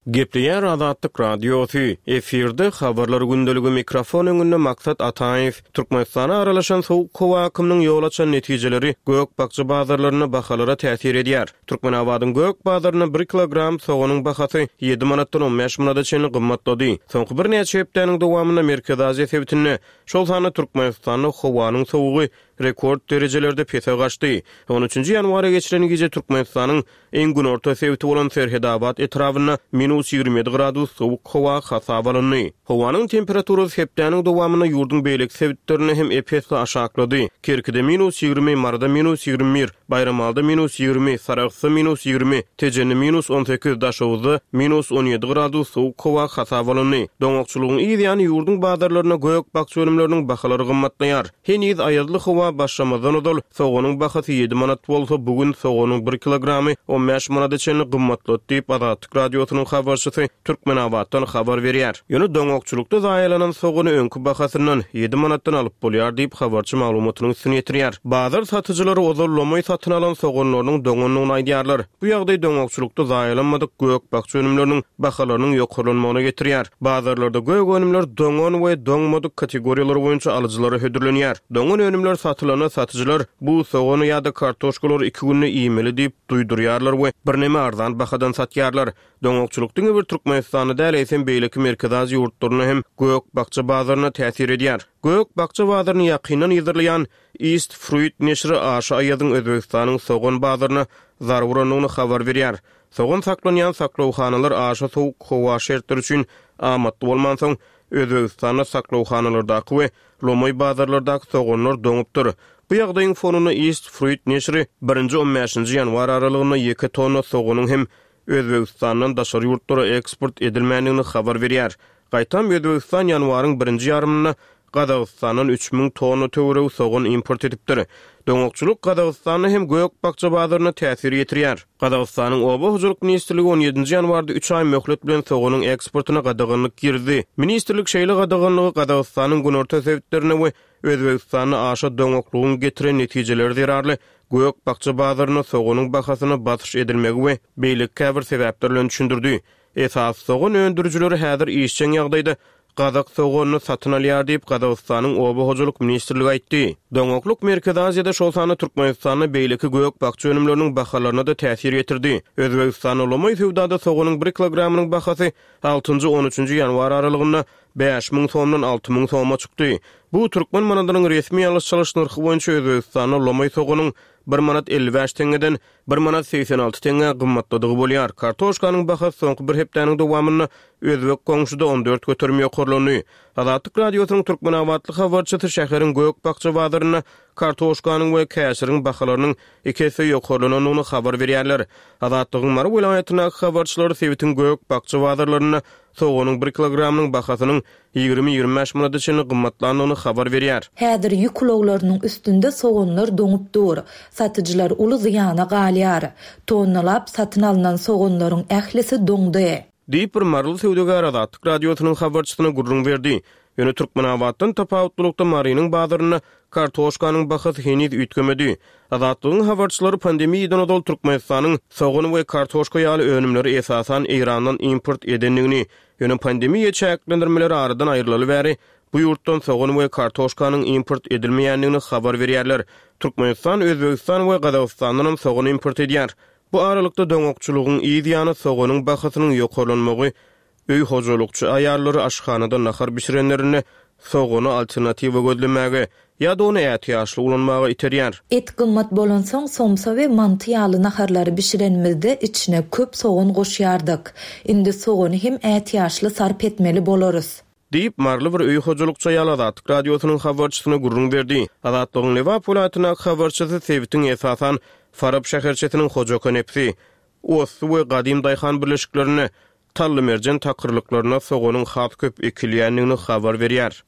Gepleýär Azatlyk Radiosy, efirde Habarlar gündeligi mikrofon öňünde Maksat Ataýew. Türkmenistana aralaşan sowuk howa akymynyň ýol açan netijeleri gök-bakja bazarlarynda bahalara täsir edýär. Türkmenabadyň gök bazarynda bir kilogram soganyň bahasy ýedi manatdan on bäş manada çenli gymmatlady. Soňky birnäçe hepdäniň dowamynda Merkezi Aziýa sebitinde, şol sanda Türkmenistanda howanyň sowugy rekord derejelerde pese gaçdy. On üçünji ýanwara geçilen gije Türkmenistanyň Iň günorta sebiti bolan Serhedabat etrabynda minus 27 gradus sowuk howa hasaba alyndy. Howanyň temperaturasy hepdäniň dowamynda ýurduň beýleki sebitlerinde hem ep-esli aşaklady. Kerkide minus 20, Maryda minus 21, Baýramalyda minus 20, Sarahsda minus 20, Tejende minus 18, Daşoguzda minus 17 gradus sowuk howa hasaba alyndy. Doňakçylygyň yz ýany ýurduň bazarlarynda gök-bakja önümleriniň bahalary gymmatlaýar. Heniz aýazly howa başlamazdan ozal, soganyň bahasy ýedi manat bolsa, bu gün soganyň bir kilogramy on bäş manada çenli gymmatlady diýip, Azatlyk Radiosynyň habarçysy Türkmenabatdan habar berýär. Ýöne doňakçylykda zaýalanan sogany öňki bahasyndan, ýedi manatdan alyp bolýar diýip, habarçy maglumatynyň üstüni ýetirýär. Bazar satyjylary ozal lomaý satyn alan soganlarynyň doňandygyny aýdýarlar. Bu ýagdaý doňakçylykda zaýalanmadyk gök-bakja önümleriniň bahalarynyň ýokarlanmagyna getirýär. Bazarlarda gök önümler doňan we doňmadyk kategoriýalar boýunça alyjylara hödürlenýär. Doňan önümler satylanda satyjylar bu sogany ýa-da kartoşkalary iki günde iýmeli diýip duýdurýarlar we birneme arzan bahadan satýarlar. Doňakçylyk diňe bir Türkmenistanda däl, eýsem beýleki Merkezi Aziýa ýurtlarynda hem gök-bakja bazaryna täsir edýär. Gök-bakja bazaryny ýakyndan yzarlaýan East Fruit neşiri aşa aýazyň Özbegistanyň sogan bazaryna zarba urandygyny habar berýär. Sogan saklanýan saklawhanalar aşa sowuk howa şertleri üçin amatly bolmansoň, Özbegistanda saklawhanalardaky we lomaý bazarlardaky soganlar doňupdyr. Bu ýagdaýyň fonunda East Fruit neşiri birinji-on bäşinji ýanwar aralygynda ýeke tonna soganyň hem Özbegistandan daşary ýurtlara eksport edilmändigini habar berýär. Gaýtam Özbegistan ýanwaryň birinji ýarymynda Gazagystandan 3000 tonna töweregi sogan import edipdir. Doňakçylyk Gazagystanda hem gök-bakja bazaryna täsir ýetirýär. Gazagystanyň Oba hojalyk ministrligi on ýedinji ýanwarda üç aý möhlet bilen soganyň eksportyna gadaganlyk girizdi. Ministrlik şeýle gadaganlygy Gazagystanyň günorta sebitlerinde we Özbegistanda aşa doňaklygyň getiren netijeleri zerarly gök-bakja bazarynda soganyň bahasyna basyş edilmegi we beýleki käbir sebäpler bilen düşündirdi. Esasy sogan öndürijileri häzir işjeň ýagdaýda gazak soganyny satyn alýar diýip, Gazagystanyň Oba hojalyk ministrligi aýtdy. Doňaklyk Merkezi Aziýada, şol sanda Türkmenistanda beýleki gök-bakja önümleriniň bahalaryna-da täsir ýetirdi. Özbegistanda lomaý söwdada soganyň bir kilogramynyň bahasy altynjy-on üçünji ýanwar aralygynda 5000 somdan 6000 soma çykdy. Bu türkmen manadynyň resmi alyş-çalyş nyrhy boýunça Özbegistanda lomaý soganyň bir manat 55 teňňeden Bir manat 86 teňňä gymmatladygy bolýar. Kartoşkanyň bahasy soňky bir hepdäniň dowamynda özbek goňşuda 14% ýokarlandy. Azatlyk Radiosynyň türkmenabatly habarçysy şäheriň gök-bakja bazarynda kartoşkanyň we käşiriň bahalarynyň iki esse ýokarlanandygyny habar berýärler. Azatlygyň Mary welaýatyndaky habarçylary sebitiň gök-bakja bazarlarynda soganyň bir kilogramynyň bahasynyň 20-25 manada çenli gymmatlandygyny habar berýär. Häzir ýük ulaglarynyň üstünde soganlar doňup dur. Satyjylar uly zyýana galýar. Tonnalap satyn alnan soganlaryň ählisi doňdy. Diýip, bir maryly söwdagär Azatlyk Radiosynyň habarçysyna gürrüň berdi. Ýöne Türkmenabatdan tapawutlylykda Marynyň bazarynda kartoşkanyň bahasy heniz üýtgemedi. Azatlygyň habarçylary pandemiýadan ozal Türkmenistanyň sogan we kartoşka ýaly önümleri esasan Eýrandan import edendigini, ýöne pandemiýa çäklendirmeleri aradan aýrylaly bäri bu ýurtdan sogan we kartoşkanyň import edilmeýändigini habar berýärler. Türkmenistan Özbegistan we Gazagystandanam sogan import edýär. Bu aralykda doňakçylygyň yz ýany soganyň bahasynyň ýokarlanmagy Öý hojalykçy aýallary aşhanada nahar bişirenlerinde sogany alternatiwa gözlemäge ýa-da ony ätiýaçly ulanmaga iterýär. Et gymmat bolansoň, somsa we manty ýaly naharlary bişirenimizde içine köp sogan goşýardyk. Indi sogany hem ätiýaçly sarp etmeli bolarys. Diýip, maryly bir öý hojalykçy aýal Azatlyk Radiosynyň habarçysyna gürrüň berdi. Azatlygyň Lebap welaýatyndaky habarçysy sebitiň esasan Farap şäherçesiniň Hojakonepsi, Osty we Gadym daýhan birleşiklerinde Tallymerjen takyrlyklarynda soganyň has köp ekilýändigini habar berýär.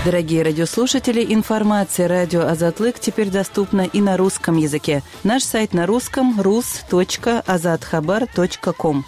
Дорогие радиослушатели, информация радио Азатлык теперь доступна и на русском языке. Наш сайт на русском rus.azathabar.com.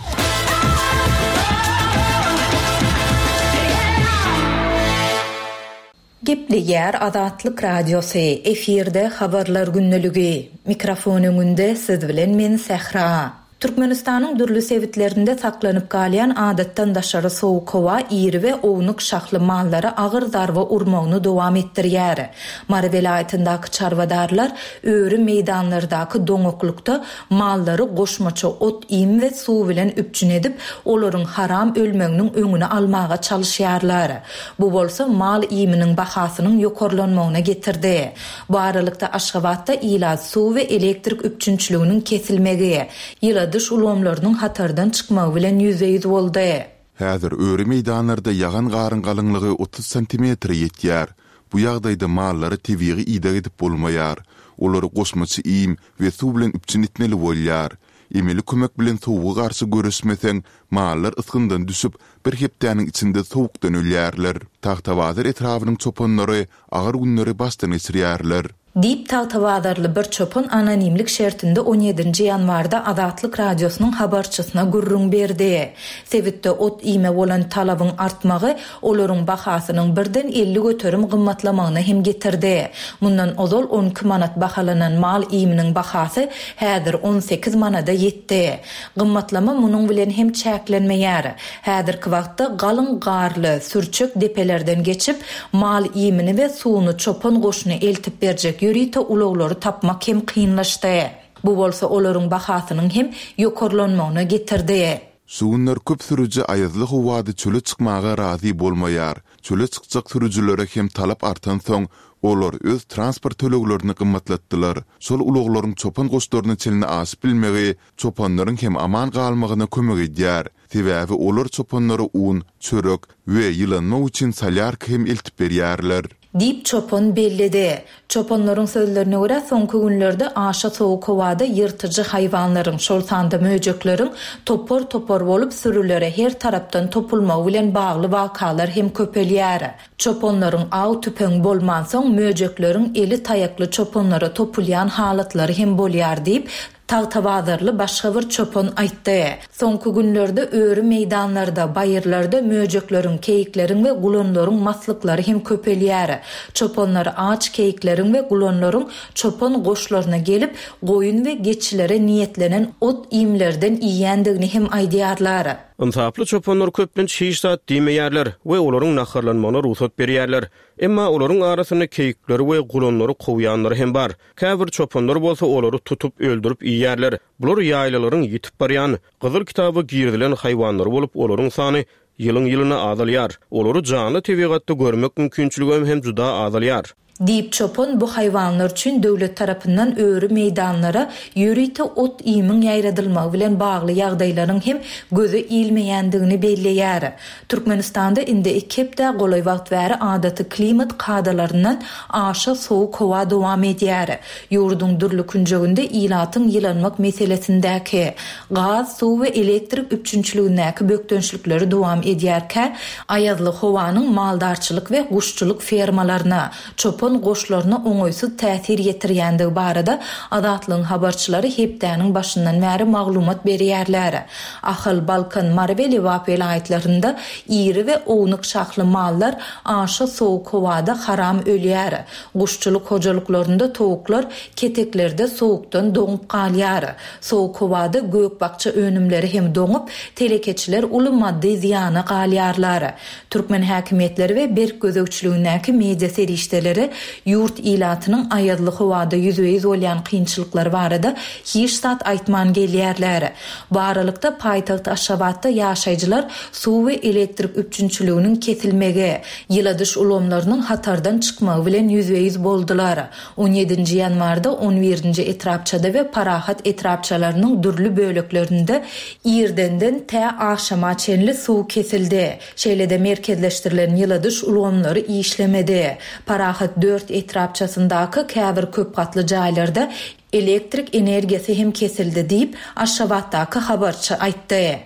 Gepleýär Azatlyk Radiosy, efirde Habarlar gündeligi. Mikrofon öňünde siz bilen men Sähra. Türkmenistanyň dürli sebitlerinde saklanyp galýan adatdan daşary sowuk howa iri we ownuk şahly mallara agyr zarba urmagyny dowam etdirýär. Mary welaýatyndaky çarwadarlar öri meýdanlardaky doňaklykda mallary goşmaça ot-iým we suw bilen üpjün edip, olaryň haram ölmeginiň öňüni almaga çalyşýarlar. Bu bolsa mal iýminiň bahasynyň ýokarlanmagyna getirdi. Bu aralykda Aşgabatda ilat suw we elektrik üpjünçiliginiň kesilmegi, ýyladyş ulgamlarynyň hatardan çykmagy bilen ýüzbe-ýüz boldy. Häzir öri meýdanlarda ýagan garyň galyňlygy 30 santimetre ýetýär. Bu ýagdaýda mallara tebigy ideg edip bolmaýar. Olary goşmaça iým we suw bilen üpjün etmeli bolýar. Emeli kömek bilen sowuga garşy göreşmeseň, mallar ysgyndan düşüp, bir hepdäniň içinde sowukdan ölýärler. Tagtabazar etrabynyň çopanlary agyr günleri başdan geçirýärler. Diýip, tagtabazarly bir çopan anonimlik şertinde on ýedinji ýanwarda Azatlyk Radiosynyň habarçysyna gürrüň berdi. Sebitde ot-iýme bolan talabyň artmagy olaryň bahasynyň birden 50% gymmatlamagyna hem getirdi. Mundan ozal 12 manat bahalanan mal iýminiň bahasy häzir 18 manada ýetdi. Gymmatlama munuň bilen hem çäklenmeýär. Häzirki wagtda galyň garly, sürçek depelerden geçip, mal iýmini we suwuny çopan goşuna eltip berjek ýörite ulaglary tapmak hem kynlaşdy. Bu bolsa olaryň bahasynyň hem ýokarlanmagyna getirdi. Şu günler köp sürüji aýazly howada çöle çykmaga razy bolmaýar. Çöle çykjak sürüjilere hem talap artansoň, olar öz transport töleglerini gymmatlatdylar. Şol ulaglaryň çopan goşlaryna çenli aşyp bilmegi çopanlaryň hem aman galmagyna kömek edýär. Sebäbi olar çopanlara un, çörek we ýylanmak üçin solýarka hem eltip berýärler. Diýip, çopan belledi. Çopanlaryň sözlerine görä, soňky günlerde aşa sowuk howada ýyrtyjy haýwanlaryň, şol sanda möjekleriň topar-topar bolup sürülere her tarapdan topulmagy bilen bagly wakalar hem köpelýär. Çopanlaryň aw tüpeňi bolmansoň, möjekleriň eli taýakly çopanlara topulýan halatlary hem bolýar diýip, Tagtabazarly başga bir çopan aýtdy. Soňky günlerde öri meýdanlarda, baýyrlarda möjekleriň, keýikleriň we gulanlaryň maslyklary hem köpelýär. Çopanlar aç keýikleriň we gulanlaryň çopan goşlaryna gelip, goýun we geçilere niýetlenen ot-iýmlerden iýýändigini hem aýdýarlar. Ynsaply çopanlar köplenç hiç zat diýmeýärler we olaryň naharlanmagyna rugsat berýärler. Emma olaryň arasynda keýikleri we gulanlary kowýanlary hem bar. Käbir çopanlar bolsa olary tutup, öldürip iýýärler. Bular ýaýlalaryň ýitip barýan, Gyzyl kitaba girizilen haýwanlary bolup, olaryň sany ýylyň-ýylyna azalýar. Olary janly tebigatda görmek mümkinçiligem hem juda azalýar. Diýip, çopan bu haýwanlar üçin döwlet tarapyndan öri meýdanlara ýörite ot-iýmiň ýaýradylmagy bilen bagly ýagdaýlaryň hem göze ilmeýändigini belleýär. Türkmenistanda indi iki hepdä golaý wagt bäri adaty klimat kadalaryndan aşa sowuk howa dowam edýär. Ýurduň dürli künjeginde ilatyň ýylanmak meselesindäki, gaz, suw we elektrik üpjünçiligindäki bökdençlikleri dowam edýärkä, aýazly howanyň maldarçylyk we guşçulyk fermalaryna, çopan goşlaryna oňaýsyz täsir ýetirýändigi barada Azatlygyň habarçylary hepdäniň başyndan bäri maglumat berýärler. Ahal, Balkan, Mary we Lebap welaýatlarynda iri we ownuk şahly mallar aşa sowuk howada haram ölýär. Guşçulyk hojalyklarynda towuklar keteklerde sowukdan doňup galýar. Sowuk howada gök-bakja önümleri hem doňup, telekeçiler uly maddy zyýana galýarlar. Türkmen häkimiýetleri we berk gözegçiligindäki media serişdeleri ýurt ilatynyň aýazly howada ýüzbe-ýüz bolýan kynçylyklary barada hiç zat aýtman gelýärler. Bu aralykda, paýtagt Aşgabatda ýaşaýjylar suw we elektrik üpjünçiliginiň kesilmegi, ýyladyş ulgamlarynyň hatardan çykmagy bilen ýüzbe-ýüz boldular. On ýedinji ýanwarda on birinji etrapçada we Parahat etrapçalarynyň dürli böleklerinde irdenden tä agşama çenli suw kesildi. Şeýle-de merkezleşdirilen ýyladyş ulgamlary işlemedi. Parahat dört etrapçasyndaky käbir köp gatly jaýlarda elektrik energiýasy hem kesildi diýip, Aşgabatdaky habarçy aýtdy.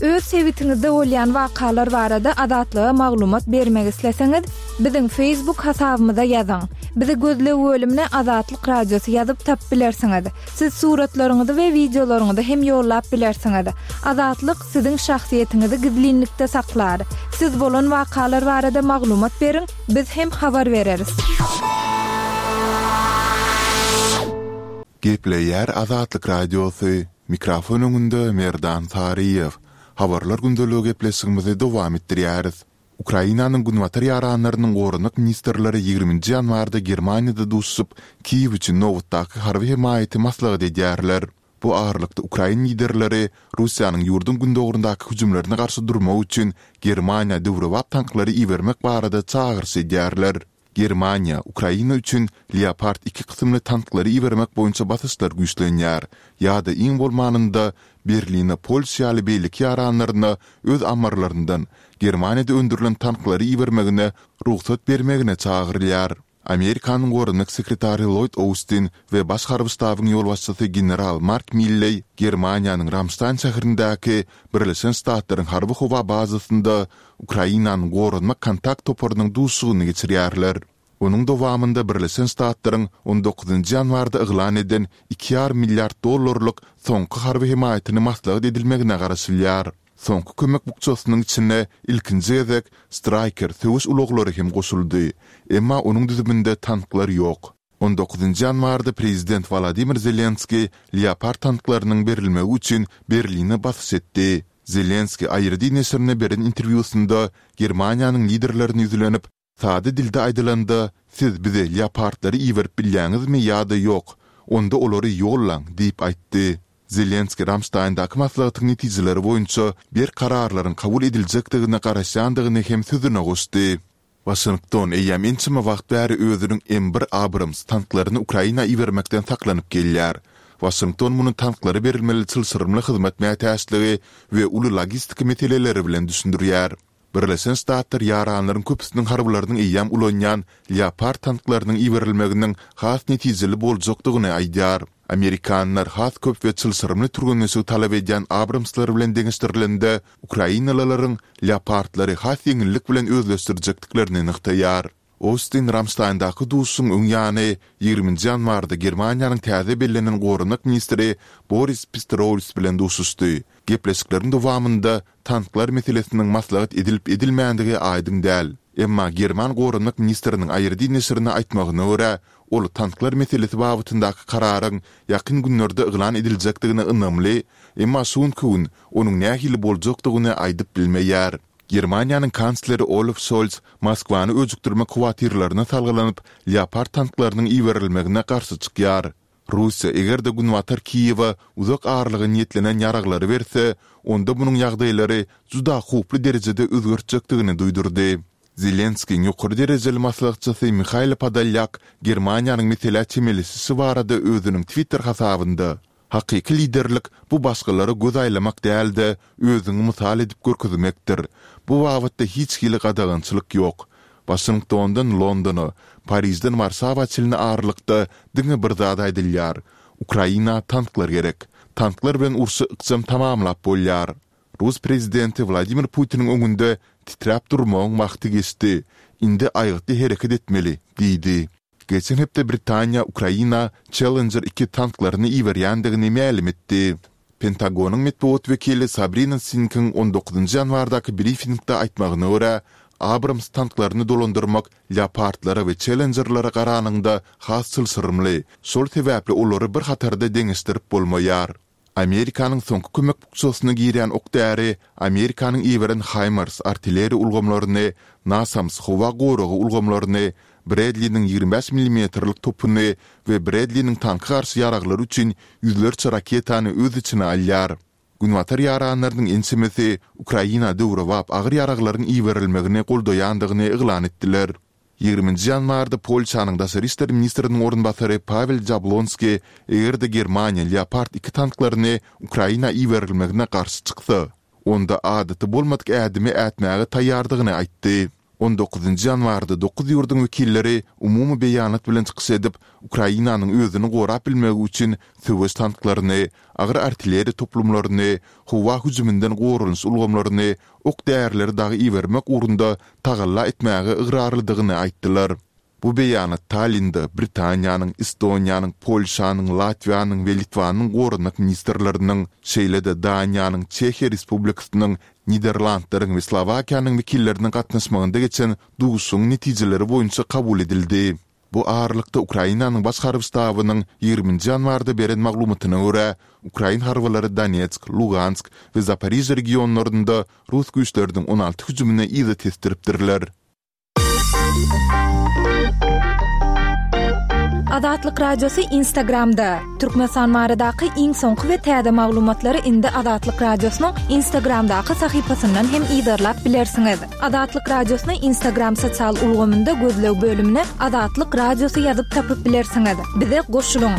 Öz. sebitiňizde bolýan wakalar barada Azatlyga maglumat bermek isleseňiz, biziň Facebook hasabymyza ýazyň. Bizi gözleg bölümine Azatlyk Radiosy ýazyp tapyp bilersiňiz. Siz suratlaryňyzy we wideolaryňyzy hem ýollap bilersiňiz. Azatlyk siziň şahsyýetiňizi gizlinlikde saklar. Siz bolan wakalar barada maglumat beriň, biz hem habar bereris. Gepleýär Azatlyk Radiosy, Mikrofon öňünde Merdan Saryýew. Habarlar gündeligi gepleşigimizi dowam etdirýäris. Ukrainanyň günbatar ýaranlarynyň goranmak ministrleri ýigriminji ýanwarda Germaniýada duşuşyp, Kiýew üçin nobatdaky harby hemaýaty maslahat edýärler. Bu aralykda ukrain liderleri Russiýanyň ýurduň gündogaryndaky hüjümlerine garşy durmak üçin Germaniýa döwrebap tanklary ibermek barada çagyryş edýärler. Germaniýa, Ukraina üçin Leopard iki kysymly tanklary ibermek boýunça basyşlar güýçlenýär. Ýa-da iň bolmanynda Berline Polşa ýaly beýleki ýaranlaryna öz ammarlaryndan Germaniýada öndürilen tanklary ibermegine rugsat bermegine çagyrylýar. Amerikanyň goranmak sekretary Lloýd Austin we Baş harby ştabyň ýolbaşçysy general Mark Milleý Germaniýanyň Ramştaýn şäherindäki Birleşen Ştatlaryň harby-howa bazasynda Ukrainanyň Goranmak kontakt toparynyň duşuşygyny geçirýärler. Onuň dowamynda Birleşen Ştatlaryň on dokuzynjy ýanwarda yglan eden iki ýarym milliard dollarlyk soňky harby hemaýatyny maslahat edilmegine garaşylýar. Soňky kömek bukjasynyň içine ilkinji gezek Stryker söweş ulaglary hem goşuldy, emma onuň düzüminde tanklar ýok. On dokuzynjy ýanwarda prezident Wolodymyr Zelenskiý Leopard tanklarynyň berilmegi üçin Berline basyş etdi. Zelenskiý IRD neşirine beren interwýusynda Germaniýanyň liderlerine ýüzlenip, Sada dilde aýdylanda, siz bize Leopardlary iberip bilýäňizmi ýa-da ýok? Onda olary ýollaň diýip aýtdy. Zelenskiý Ramştaýndaky maslahatyň netijeleri boýunça berk kararlaryň kabul ediljekdigine garaşýandygyny hem sözüne goşdy. Waşington eýýäm ençeme wagt bäri özüniň M bir Abrams tanklaryny Ukraina ibermekden saklanyp gelýär. Waşington muny tanklara berilmeli çylşyrymly hyzmat mätäçligi we uly logistika meseleleri bilen düşündirýär. Birleşen Ştatlar ýaranlaryň köpüsiniň harbylarynyň eýýäm ulanýan Leopard tanklarynyň iberilmeginiň has netijeli boljakdygyny aýdýar. Amerikanlar has köp we çylşyrymly türgenleşigi talap edýän Abramslar bilen deňeşdirilende, ukrainalylaryň Leopardlary has ýeňillik bilen özleşdirjekdiklerini nygtaýar. Ostin Ramştaýndaky duşuşygyň öň ýany, ýigriminji ýanwarda Germaniýanyň täze bellenen goranmak ministri Boris Pistorius bilen duşuşdy. Gepleşikleriň dowamynda tanklar meselesiniň maslahat edilip-edilmändigi aýdyň däl. Emma german goranmak ministriniň ARD neşirine aýtmagyna görä, ol tanklar meselesi babatyndaky kararyň ýakyn günlerde yglan ediljekdigine ynamly, emma şu günki gün onuň nähili boljakdygyny aýdyp bilmeýär. Germaniýanyň kansleri Olaf Şolz Moskwany öjükdirmek howatyrlaryna salgylanyp, Leopard tanklarynyň iberilmegine garşy çykýar. Russiýa eger-de Günbatar Kiýewe uzak aralyga niýetlenen ýaraglary berse, onda munuň ýagdaýlary juda howply derejede özgertjekdigini duýdurdy. Zelenskiýiň ýokary derejeli maslahatçysy Mihailo Podolýak Germaniýanyň meselä çemeleşişi barada özüniň Twitter hasabynda, Hakyky liderlik bu başgalara göz aýlamak däl-de, özüňi mysal edip görkezmekdir. Bu babatda hiç hili gadagançylyk ýok. Waşingtondan Londona, Parižden Warşawa çenli aralykda diňe bir zat aýdylýar, Ukraina tanklar gerek. Tanklar bilen urşy ykjam tamamlap bolýar. Rus prezidenti Wladimir Putiniň öňünde titräp durmagyň wagty geçdi. Indi aýgytly hereket etmeli diýdi. Geçen hepde Britaniýa Ukraina Challenger iki tanklaryny iberýändigini mälim etdi. Pentagonyň metbugat wekili Sabrina Sinkiň on dokuzynjy ýanwardaky brifingde aýtmagyna görä, Abrams tanklaryny dolandyrmak Leopardlara we Challengerlere garanyňda has çylşyrymly, şol sebäpli olary bir hatarda deňeşdirip bolmaýar. Amerikanyň soňky kömek bukjasyna girýän ok-däri Amerikanyň iberen HIMARS artilleriýa ulgamlaryny, NASAMS howa goragy ulgamlaryny, Bredliniň 25 millimetrlik topuny we Bredliniň tanka garşy ýaraglary üçin ýüzlerçe raketany öz içine alýar. Günbatar ýaranlarynyň ençemesi Ukraina döwrebap agyr ýaraglaryň iberilmegini goldaýandygyny yglan etdiler. Ýigriminji ýanwarda Polşanyň daşary işler ministriniň orunbasary Pawel Jablonski eger-de Germaniýa Leopard iki tanklaryny Ukraina iberilmegine garşy çyksa, onda adaty bolmadyk ädimi ätmäge taýýardygyny aýtdy. On dokuzynjy ýanwarda dokuz ýurduň wekilleri umumy beýanat bilen çykyş edip, Ukrainanyň özüni gorap bilmegi üçin söweş tanklaryny, agyr artilleriýa toplumlaryny, howa hüjüminden goranyş ulgamlaryny, ok-därileri dagy ibermek ugrunda tagalla etmäge ygrarlydygyny aýtdylar. Bu beýanat Tallinde Britaniýanyň, Estoniýanyň, Polşanyň, Latwiýanyň we Litwanyň goranmak ministrleriniň, şeýle-de Daniýanyň, Çehiýa Respublikasynyň, Niderlandlaryň we Slowakiýanyň wekilleriniň gatnaşmagynda geçen duşuşygyň netijeleri boýunça kabul edildi. Bu aralykda, Ukrainanyň Baş harby ştabynyň ýigriminji ýanwarda beren maglumatyna görä, ukrain harbylary Donetsk, Lugansk we Zaporižýa regionlarynda rus güýçleriniň 16 hüjümini yza tesdiripdirler. Azatlyk Radiosy Instagramda, Türkmenistan baradaky iň soňky we täze maglumatlary indi Azatlyk Radiosynyň Instagramdaky sahypasyndan hem yzarlap bilersiňiz. Azatlyk Radiosyny Instagram sosial ulgamynda gözleg bölümine Azatlyk Radiosy ýazyp tapyp bilersiňiz. Bize goşulyň!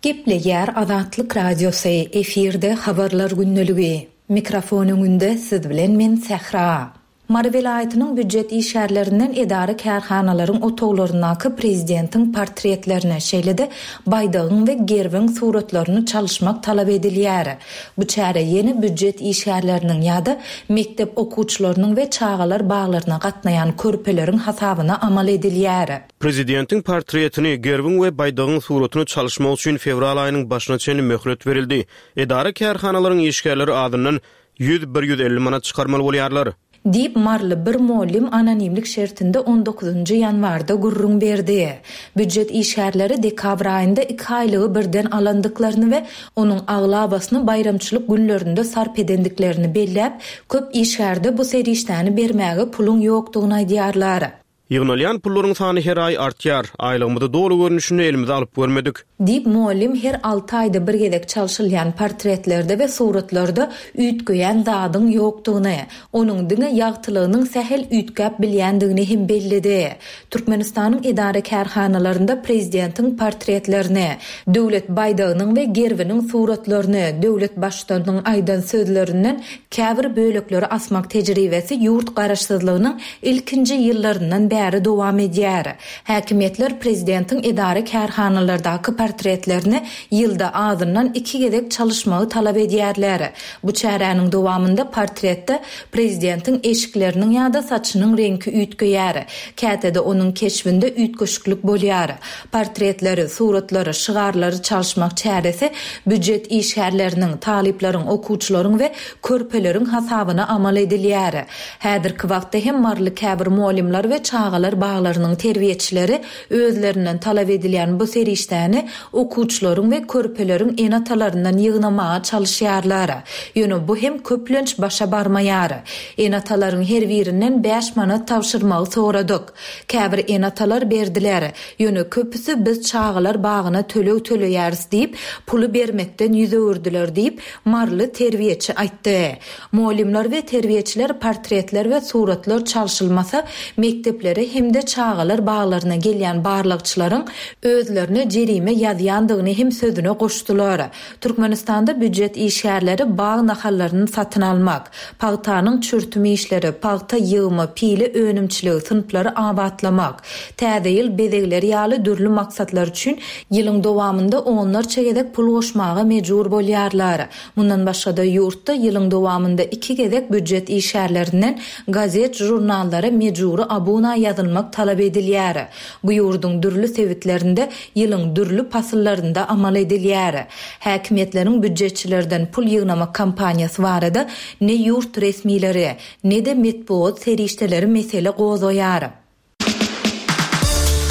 Gepleýär Azatlyk Radiosy, efirde Habarlar gündeligi. Mikrofon öňünde siz bilen men Sähra. Mary welaýatynyň býujet işgärlerinden edara-kärhanalaryň otaglaryndaky prezidentiň portretlerini, şeýle-de baýdagyň we gerbiň suratlaryny çalyşmak talap edilýär. Bu çäre ýene býujet işgärleriniň ýa-da mekdep okuwçylarynyň we çagalar baglaryna gatnaýan körpeleriň hasabyna amal edilýär. Prezidentiň portretini, gerbiň we baýdagyň suratyny çalyşmak üçin fewral aýynyň başyna çenli möhlet berildi. Edara-kärhanalaryň işgärleri azyndan 100, bir 150 manat çykarmaly bolýarlar. Diýip, maryly bir mugallym anonimlik şertinde on dokuzynjy ýanwarda gürrüň berdi. Býujet işgärleri dekabr aýynda iki aýlygy birden alandyklaryny we onuň aglabasyny baýramçylyk günlerinde sarp edendiklerini belläp, köp işgärde bu serişdäni bermäge puluň ýokdugyny aýdýarlar. Ýygnalýan pullaryň sany her aý artýar. Aýlygymyzy doly görnüşinde elimize alyp görmedik. Diýip, mugallym her alty aýda bir gezek çalşylýan portretlerde we suratlarda üýtgeýän zadyň ýokdugyny, onuň diňe ýagtylygynyň sähel üýtgäp bilýändigini hem belledi. Türkmenistanyň edara-kärhanalarynda prezidentiň portretlerini, döwlet baýdagynyň we gerbiniň suratlaryny, döwlet Baştutanynyň aýdan sözlerinden käbir bölekleri asmak tejribesi ýurt garaşsyzlygynyň ilkinji ýyllaryndan bäri dowam edýär. Häkimiýetler prezidentiň edara-kärhanalardaky portretlerini ýylda azyndan iki gezek çalyşmagy talap edýärler. Bu çäräniň dowamynda portretde prezidentiň eşikleriniň ýa-da saçynyň reňki üýtgeýär. Käte-de onuň keşbinde üýtgeşiklik bolýar. Portretleri, suratlary, şygarlary çalyşmak çäresi býujet işgärleriniň, talyplaryň, okuwçylaryň we körpeleriň hasabyna amal edilýär. Häzirki wagtda hem maryly käbir mugallymlar we çagalar baglarynyň terbiýeçileri özlerinden talap edilýän bu serişdäni okuwçylaryň we körpeleriň ene-atalaryndan ýygnamaga çalyşýarlar. Ýöne bu hem köplenç başa barmaýar. Ene-atalaryň her birinden bäş manat tabşyrmagy soradyk. Käbir ene-atalar berdiler. Ýöne köpüsi biz çagalar bagyna töleg töleýäris diýip, puly bermekden ýüz öwürdiler diýip, maryly terbiýeçi aýtdy. Mugallymlar we terbiýeçiler portretler we suratlar çalşylmasa, mekdeplere hem-de çagalar baglaryna gelýän barlagçylaryň özlerine jerime ýazýandygyny hem sözüne goşdular. Türkmenistanda býujet işgärleri bag nahallaryny satyn almak, pagtanyň çürtüm işleri, pagta ýygymy, pile önümçiligi, synplary abatlamak, Täze ýyl bezegleri ýaly dürli maksatlar üçin ýylyň dowamynda onlarça gezek pul goşmaga mejbur bolýarlar. Mundan başga-da, ýurtda ýylyň dowamynda iki gezek býujet işgärlerinden gazet-žurnallara mejbury abuna ýazylmak talap edilýär. Bu ýurduň dürli sebitlerinde ýylyň dürli pasyllarynda amal edilýär. Häkimiýetleriň býujetçilerden pul ýygnamak kampaniýasy barada ne ýurt resmileri, ne-de metbugat serişdeleri mesele gozgaýar.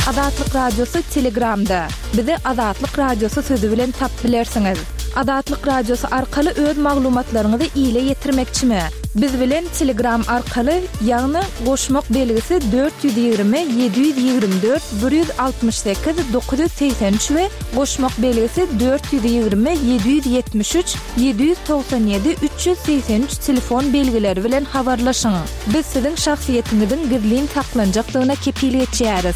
Azatlyk Radiosy Telegramda. Bizi Azatlyk Radiosy sözi bilen tapyp bilersiňiz. Azatlyk Radiosy arkaly öz maglumatlaryňyzy ile ýetirmekçimi? Biz bilen Telegram arkaly, ýagny goşmak belgisi 420 724 168 983 we goşmak belgisi 420 773 797 383 telefon belgileri bilen habarlaşyň. Biz siziň şahsyýetiňiziň gizlin saklanjakdygyna kepil geçýäris.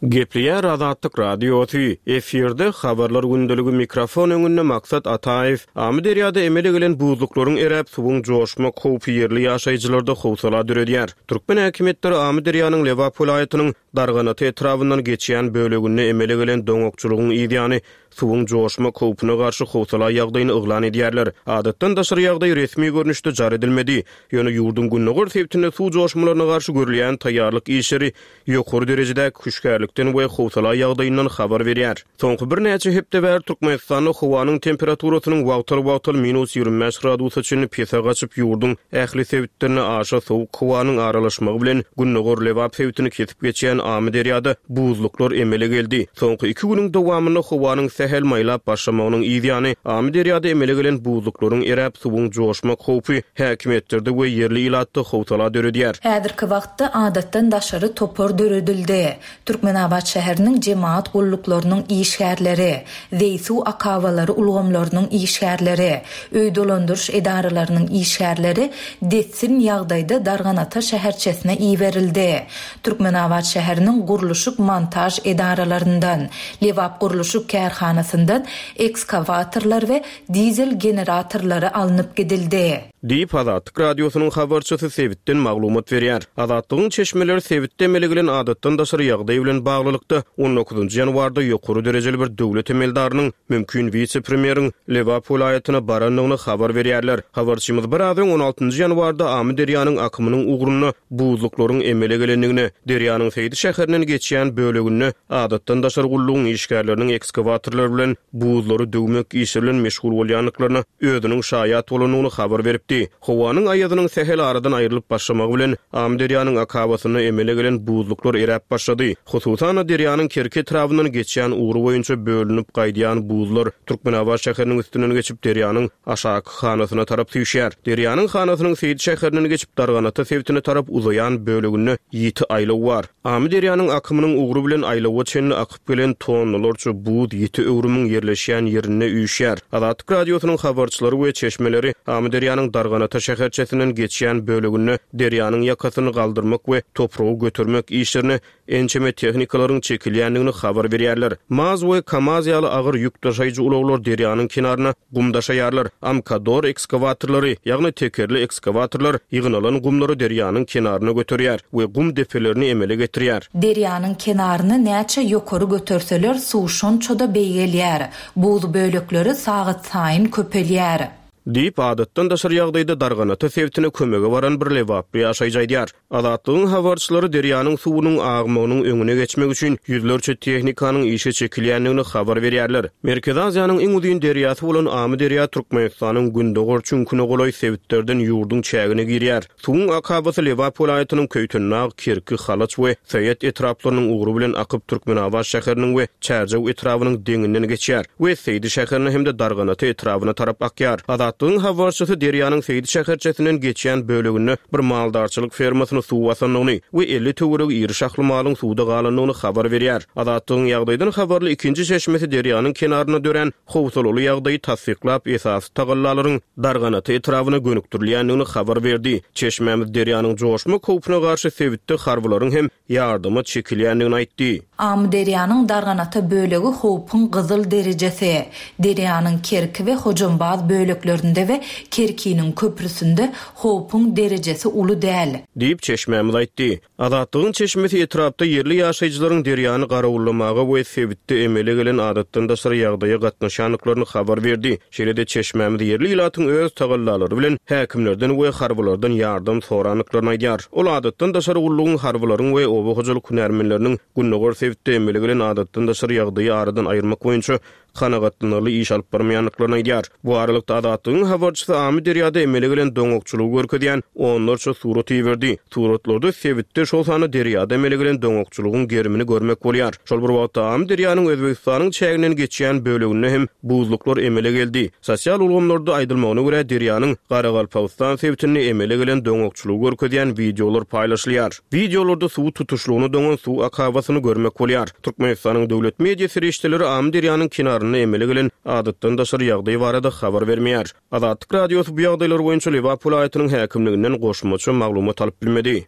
Gepleýär Azatlyk Radiosy, Efirde Habarlar gündeligi mikrofon öňünde Maksat Ataýew. Amyderýada emele gelen buzluklaryň eräp, suwuň joşmak howpy ýerli ýaşaýjylarda howsala döredýär. Türkmen häkimiýetleri Amyderýanyň Lebap welaýatynyň Darganata etrabyndan geçýän böleginde emele gelen doňakçylygyň yzýany suwuň joşmak howpuna garşy howsala ýagdaýyny yglan edýärler. Adatdan daşary ýagdaý resmi görnüşde jar edilmedi. Ýöne ýurduň gündogar sebitinde suw joşmalaryna garşy görülýän taýýarlyk işleri ýokary derejedäki hüşgärlikden we howsala ýagdaýyndan habar berýär. Soňky birnäçe hepde bäri Türkmenistanda howanyň temperaturasynyň wagtal-wagtal minus 25 gradusa çenli pese gaçyp, ýurduň ähli sebitlerine aşa sowuk howanyň aralaşmagy bilen gündogar Lebap sebitini kesip geçýän Amyderýada buzluklar emele geldi. Soňky iki günüň dowamynda howanyň sähel maýlap başlamagynyň yz ýany, Amyderýada emele gelen buzluklaryň eräp, suwuň joşmak howpy häkimiýetlerde we ýerli ilatda howsala döredýär. Häzirki wagtda adatdan daşary topar döredildi. Türkmenabat şäheriniň jemagat gulluklarynyň işgärleri, zeý-suw akabalary ulgamlarynyň işgärleri, öý dolandyryş edaralarynyň işgärleri dessin ýagdaýda Darganata şäherçesine iberildi. Türkmenabat şäheriniň gurluşyk-montaž edaralaryndan, Lebapgurluşyk kärhanasyndan ekskawatorlar we dizel generatorlary alnyp gidildi. Diýip, Azatlyk Radiosynyň habarçysy sebitden maglumat berýär. Azatlygyň çeşmeleri sebitde emele gelen adatdan daşary ýagdaý bilen baglylykda, on dokuzynjy ýanwarda ýokary derejeli bir döwlet emeldarynyň, mümkin wise-premýeriň Lebap welaýatyna barandygyny habar berýärler. Habarçymyz biraz öň on altynjy ýanwarda Amyderýanyň akymynyň ugrunda buzluklaryň emele gelendigini, derýanyň Seýdi şäherinden geçýän böleginde adatdan daşary gullugyň işgärleriniň ekskawatorlar bilen buzlary döwmek işi bilen meşgul bolýandyklaryna özüniň şaýat bolandygyny habar beripdi. Howanyň aýazynyň sähel aradan aýrylyp başlamagy bilen, Amyderýanyň akabasynda emele gelen buzluklar eräp başlady. Hususan-da, derýanyň Kerki etrabyndan geçýän ugry boýunça bölünip gaýdýan buzlar Türkmenabat şäheriniň üstünden geçip, derýanyň aşaky hanasyna tarap süýşýär. Derýanyň hanasynyň Seýdi şäherinden geçip, Darganata sebitine tarap uzaýan böleginde ýiti aýlaw bar. Amyderýanyň akymynyň ugry bilen aýlawa çenli akyp gelen tonnalarça buz ýiti öwrümiň ýerleşýän ýerinde üýşýär. Azatlyk Radiosynyň habarçylary we çeşmeleri Amyderýanyň Darganata şäherçesinden geçýän böleginde derýanyň ýakasyny galdyrmak we topragy götermek işlerine ençeme tehnikalaryň çekilýändigini habar berýärler. Maz we Kamaz ýaly agyr ýük daşaýjy ulaglar derýanyň kenaryna gum daşaýarlar. Amkador ekskawatorlary, ýagny tekerli ekskawatorlar ýygnalan gumlary derýanyň kenaryna göterýär we gum depelerini emele getirýär. Derýanyň kenaryny näçe ýokary göterseler, suw şonça-da beýgelýär. Buz bölekleri sagatsaýyn köpelýär. Diýip, adatdan daşary ýagdaýda Darganata sebitine kömege baran bir lebaply ýaşaýjy aýdýar. Azatlygyň habarçylary derýanyň suwunyň agmagynyň öňüne geçmek üçin ýüzlerçe tehnikanyň işe çekilýändigini habar berýärler. Merkezi Aziýanyň iň uzyn derýasy bolan Amyderýa Türkmenistanyň gündogar çüňküne golaý sebitlerden ýurduň çägine girýär. Suwuň akabasy Lebap welaýatynyň Köýtendag, Kerki, Halaç we Saýat etraplarynyň ugry bilen akyp Türkmenabat şäheriniň we Çärjew etrabynyň deňinden geçýär we Seýdi şäherine hem-de Darganata etrabyna tarap akýar. Azatlygyň habarçysy derýanyň Seýdi şäherçesinden geçýän böleginde bir maldarçylyk fermasyny suw basandygyny we 50 töweregi iri şahly malyň suwda galandygyny habar berýär. Azatlygyň ýagdaýdan habarly ikinji çeşmesi derýanyň kenarynda dörän howsalaly ýagdaýy tassyklap, esasy tagallalaryň Darganata etrabyna gönükdirilýändigini habar berdi. Çeşmämiz derýanyň joşmak howpuna garşy sebitde harbylaryň hem ýardama çekilýändigini aýtdy. Amyderýanyň Darganata bölegi howpuň gyzyl derejesi. Derýanyň Kerki we Hojambaz böleklerinde we Kerkiniň köprüsinde howpuň derejesi uly däl. Diýip, çeşmämiz aýtdy. Azatlygyň çeşmesi etrapda ýerli ýaşaýjylaryň derýany garawullamaga we sebitde emele gelen adatdan daşary ýagdaýa gatnaşýandyklaryny habar berdi. Şeýle-de çeşmämiz ýerli ilatyň öz tagallalary bilen häkimlerden we harbylardan ýardam sorandyklaryny aýdýar. Ol adatdan daşary gullugyň harbylaryň we oba hojalyk hünärmenleriniň gündogar sebitde emele gelen adatdan daşary ýagdaýy aradan aýyrmak boýunça kanagatlanarly iş alyp barmaýandyklaryny aýdýar. Bu aralykda, Azatlygyň habarçysy Amyderýada emele gelen doňakçylygy görkezýän onlarça surat iberdi. Suratlarda sebitde, şol sanda derýada emele gelen doňakçylygyň gerimini görmek bolýar. Şol bir wagtda, Amyderýanyň Özbegistanyň çäginden geçýän böleginde hem buzluklar emele geldi. Sosial ulgamlarda aýdylmagyna görä, derýanyň Garagalpagystan sebitinde emele gelen doňakçylygy görkezýän wideolar paýlaşylýar. Wideolarda suwy tutuşlygyna doňan suw akabasyny görmek bolýar. Türkmenistanyň döwlet media serişdeleri Amyderýanyň kenarynda emele gelen adatdan daşary ýagdaý barada habar bermeýär. Azatlyk Radiosy bu ýagdaýlar boýunça Lebap welaýatynyň häkimliginden goşmaça maglumat alyp bilmedi.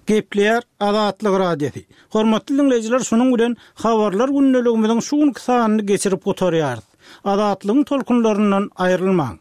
Gepleýär Azatlyk Radiosy. Hormatly diňleýjiler şunuň bilen Habarlar gündeligimiziň şu günki sanyny geçirip gutarýarys. Azatlygyň tolkunlaryndan aýrylmaň.